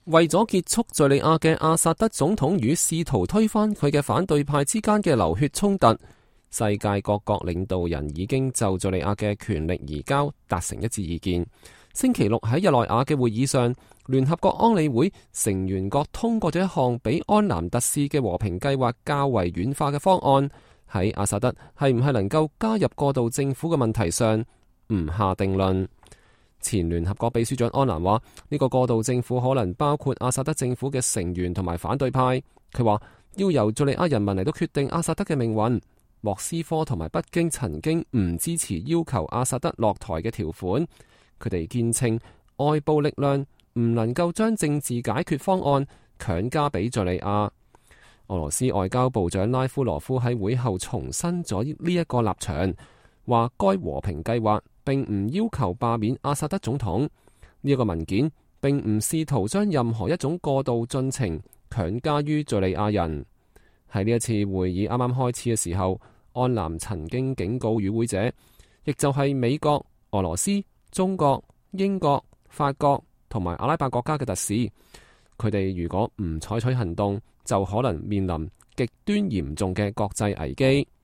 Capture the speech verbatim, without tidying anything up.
為咗結束敘利亞嘅阿薩德總統與試圖推翻佢嘅反對派之間嘅流血衝突，世界各國領導人已經就敘利亞嘅權力移交達成一致意見。星期六喺日內瓦嘅會議上，聯合國安理會成員國通過咗一項比安南特使嘅和平計劃較為軟化嘅方案，喺阿薩德係唔係能夠加入過渡政府嘅問題上唔下定論。前聯合國秘書長安蘭話：呢個過渡政府可能包括阿薩德政府嘅成員同埋反對派。佢話要由敘利亞人民嚟到決定阿薩德嘅命運。莫斯科同埋北京曾經唔支持要求阿薩德落台嘅條款。佢哋堅稱外部力量唔能夠將政治解決方案強加俾敘利亞。俄羅斯外交部長拉夫羅夫喺會後重申咗呢一個立場，話該和平計劃並唔要求罷免阿薩德總統。呢一個文件並唔試圖將任何一種過渡進程強加於敘利亞人。喺呢一次會議啱啱開始嘅時候，安南曾經警告與會者，亦就係美國、俄羅斯、中國、英國、法國同埋阿拉伯國家嘅特使，佢哋如果唔採取行動，就可能面臨極端嚴重嘅國際危機。